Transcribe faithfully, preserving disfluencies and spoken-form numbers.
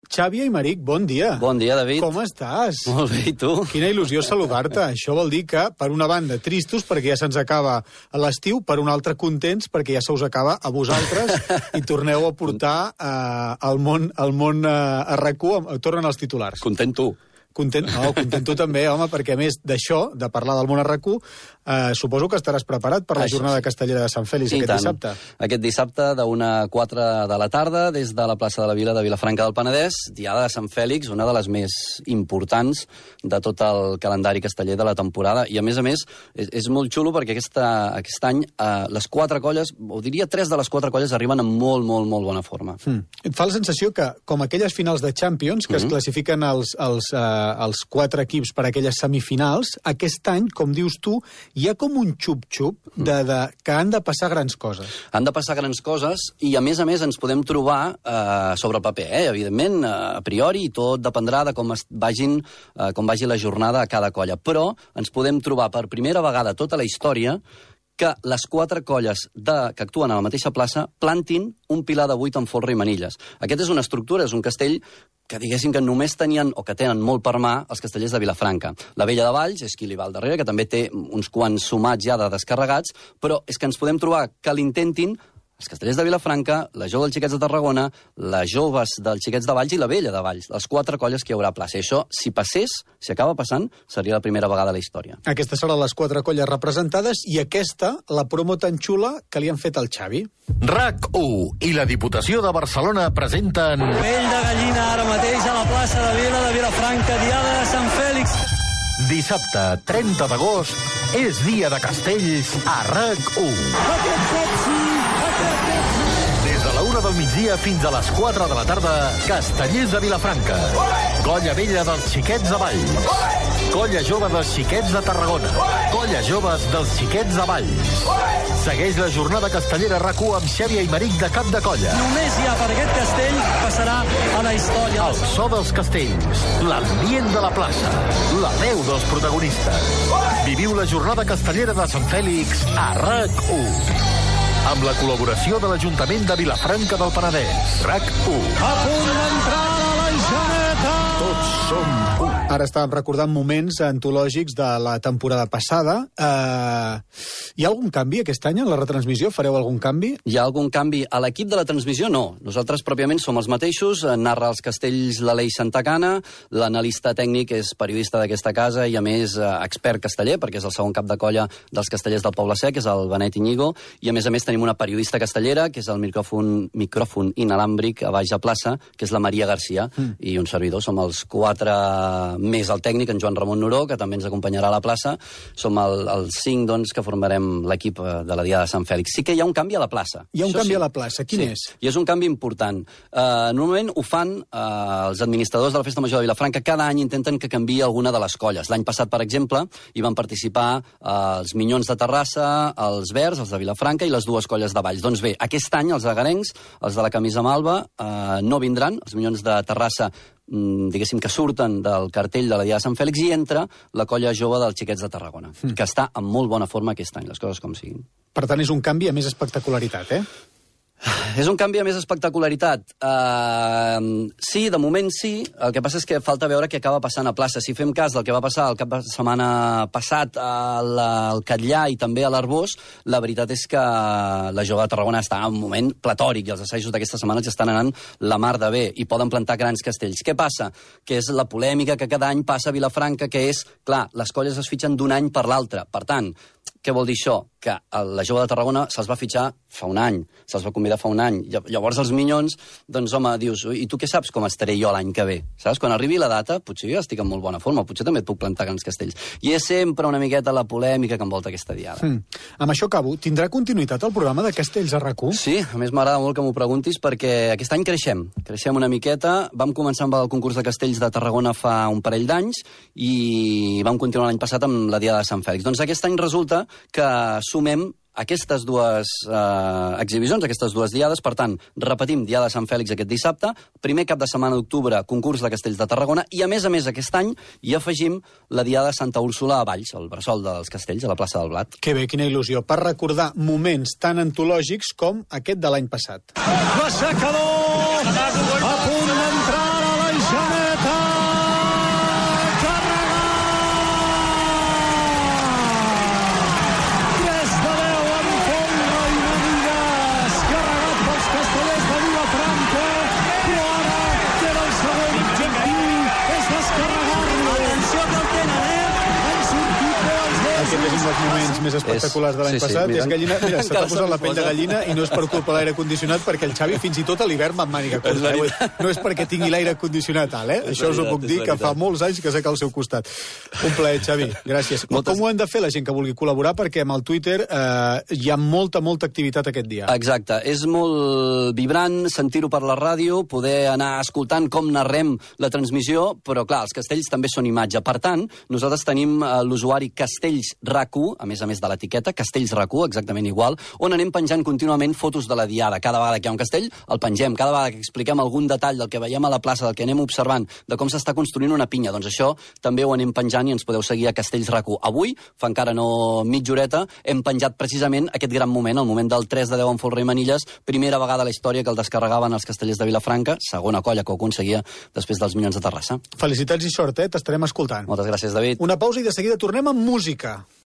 Xavi Aimeric, bon dia. Bon dia, David. Com estàs? Molt bé, i tu? Quina il·lusió saludar-te. Això vol dir que, per una banda, tristos, perquè ja se'ns acaba l'estiu, per una altra, contents, perquè ja se us acaba a vosaltres i torneu a portar eh, al món, al món eh, a R A C u, tornen els titulars. Content tu. Content, no, content tu també, home, perquè a més d'això, de parlar del món a R A C u, eh, suposo que estaràs preparat per la Això jornada sí. castellera de Sant Fèlix I aquest tant. dissabte. Aquest dissabte, d'una a quatre de la tarda, des de la plaça de la Vila de Vilafranca del Penedès, Diada de Sant Fèlix, una de les més importants de tot el calendari casteller de la temporada. I, a més a més, és, és molt xulo perquè aquesta, aquest any eh, les quatre colles, o diria tres de les quatre colles, arriben en molt, molt, molt bona forma. Mm. Et fa la sensació que, com aquelles finals de Champions, que mm-hmm. es classifiquen els, els, eh, els quatre equips per a aquelles semifinals, aquest any, com dius tu, hi ha com un xup-xup de, de, que han de passar grans coses. Han de passar grans coses i, a més a més, ens podem trobar eh, sobre el paper, eh? Evidentment, eh, a priori, i tot dependrà de com, es vagin, eh, com vagi la jornada a cada colla. Però ens podem trobar per primera vegada a tota la història que les quatre colles de, que actuen a la mateixa plaça plantin un pilar de vuit amb folre i manilles. Aquest és una estructura, és un castell que diguéssim que només tenien, o que tenen molt per mà, els castellers de Vilafranca. La Vella de Valls és qui li va al darrere, que també té uns quants sumats ja de descarregats, però és que ens podem trobar que l'intentin els castellers de Vilafranca, la jove dels Xiquets de Tarragona, les joves dels Xiquets de Valls i la Vella de Valls, les quatre colles que hi haurà a plaça. I això, si passés, si acaba passant, seria la primera vegada a la història. Aquestes seran les quatre colles representades i aquesta, la promo tan xula que li han fet al Xavi. R A C u i la Diputació de Barcelona presenten... Pell de gallina ara mateix a la plaça de Vila de Vilafranca, Diada de Sant Fèlix. Dissabte, trenta d'agost, és dia de castells a R A C u. Des de la una del migdia fins a les quatre de la tarda, Castellers de Vilafranca. Colla vella dels Xiquets de Valls. Colla jove dels Xiquets de Tarragona. Colla joves dels Xiquets de Valls. Segueix la jornada castellera R A C u amb Xavi Aimeric de cap de colla. Només ja per aquest castell passarà a la història. El so dels castells, l'ambient de la plaça, la veu dels protagonistes. Viviu la jornada castellera de Sant Fèlix a R A C u. Amb la col·laboració de l'Ajuntament de Vilafranca del Penedès. R A C u. A punt d'entrar a la Janeta. Tots som un. Ara estàvem recordant moments antològics de la temporada passada. Uh, hi ha algun canvi aquest any en la retransmissió? Fareu algun canvi? Hi ha algun canvi? A l'equip de la transmissió, no. Nosaltres, pròpiament, som els mateixos. Narra els castells l'Aleix Santacana, l'analista tècnic és periodista d'aquesta casa i, a més, expert casteller, perquè és el segon cap de colla dels castellers del Poble Sec, és el Benet Iñigo, i, a més a més, tenim una periodista castellera, que és el micròfon, micròfon inalàmbric a baix a plaça, que és la Maria Garcia, mm. i un servidor. Som els quatre més el tècnic, en Joan Ramon Noró, que també ens acompanyarà a la plaça. Som el, els cinc, doncs, que formarem l'equip de la Diada de Sant Fèlix. Sí que hi ha un canvi a la plaça. Hi ha un Això canvi sí. a la plaça. Quin sí. és? I és un canvi important. Uh, normalment ho fan uh, els administradors de la Festa Major de Vilafranca. Cada any intenten que canviï alguna de les colles. L'any passat, per exemple, hi van participar uh, els Minyons de Terrassa, els Verds, els de Vilafranca i les dues colles de Valls. Doncs bé, aquest any els agarencs, els de la camisa malva, uh, no vindran. Els Minyons de Terrassa diguéssim que surten del cartell de la Diada de Sant Fèlix i entra la colla jove dels Xiquets de Tarragona, mm. que està en molt bona forma aquest any, les coses com siguin. Per tant, és un canvi a més espectacularitat, eh? És un canvi a més espectacularitat. Uh, sí, de moment sí. El que passa és que falta veure què acaba passant a plaça. Si fem cas del que va passar el cap de setmana passat al, al Catllà i també a l'Arbós, la veritat és que la jove de Tarragona està en un moment platòric i els assajos d'aquesta setmana ja estan anant la mar de bé i poden plantar grans castells. Què passa? Que és la polèmica que cada any passa a Vilafranca, que és, clar, les colles es fitxen d'un any per l'altre. Per tant, què vol dir això? Que la jove de Tarragona se'ls va fitxar fa un any, se'ls va convidar fa un any. Llavors els Minyons, doncs home, dius, i tu què saps com estaré jo l'any que ve? Saps? Quan arribi la data, potser jo estic en molt bona forma, potser també et puc plantar grans castells. I és sempre una miqueta la polèmica que envolta aquesta diada. Mm. Amb això acabo. Tindrà continuïtat el programa de Castells a R A C u? Sí, a més m'agrada molt que m'ho preguntis perquè aquest any creixem. Creixem una miqueta. Vam començar amb el concurs de castells de Tarragona fa un parell d'anys i vam continuar l'any passat amb la Diada de Sant Fèlix. Doncs aquest any resulta que sumem aquestes dues eh, exhibicions, aquestes dues diades. Per tant, repetim Diada de Sant Fèlix aquest dissabte, primer cap de setmana d'octubre, concurs de castells de Tarragona, i a més a més aquest any hi afegim la Diada de Santa Úrsula a Valls, el bressol dels castells, a la plaça del Blat. Que bé, quina il·lusió, per recordar moments tan antològics com aquest de l'any passat. L'aixecador a punt d'entrar a la dels moments més espectaculars de l'any Sí, sí, passat. mira. És gallina... Mira, se t'ha Encara posat se la m'hi pell de posa. gallina i no és per culpa de l'aire condicionat, perquè el Xavi fins i tot a l'hivern va amb màniga És curta. Eh? veritat. No és perquè tingui l'aire condicionat alt, eh? És Això us ho veritat, puc és dir, que veritat. fa molts anys que sec al seu costat. Un plaer, Xavi. Gràcies. Moltes- Com ho hem de fer la gent que vulgui col·laborar? Perquè amb el Twitter eh, hi ha molta, molta activitat aquest dia. Exacte. És molt vibrant sentir-ho per la ràdio, poder anar escoltant com narrem la transmissió, però clar, els castells també són imatge. Per tant, nosaltres tenim eh, l'usuari Castells R A C U, a més a més de l'etiqueta, Castells R A C U, exactament igual, on anem penjant contínuament fotos de la diada. Cada vegada que hi ha un castell, el pengem. Cada vegada que expliquem algun detall del que veiem a la plaça, del que anem observant, de com s'està construint una pinya, doncs això també ho anem penjant i ens podeu seguir a Castells R A C U. Avui, fa encara no mitja horeta, hem penjat precisament aquest gran moment, el moment del tres de deu en Folre i Manilles, primera vegada a la història que el descarregaven els castellers de Vilafranca, segona colla que ho aconseguia després dels Minyons de Terrassa. Felicitats i sort, eh? T'estarem escoltant. Moltes gràcies, David. Una pausa i de seguida tornem amb música.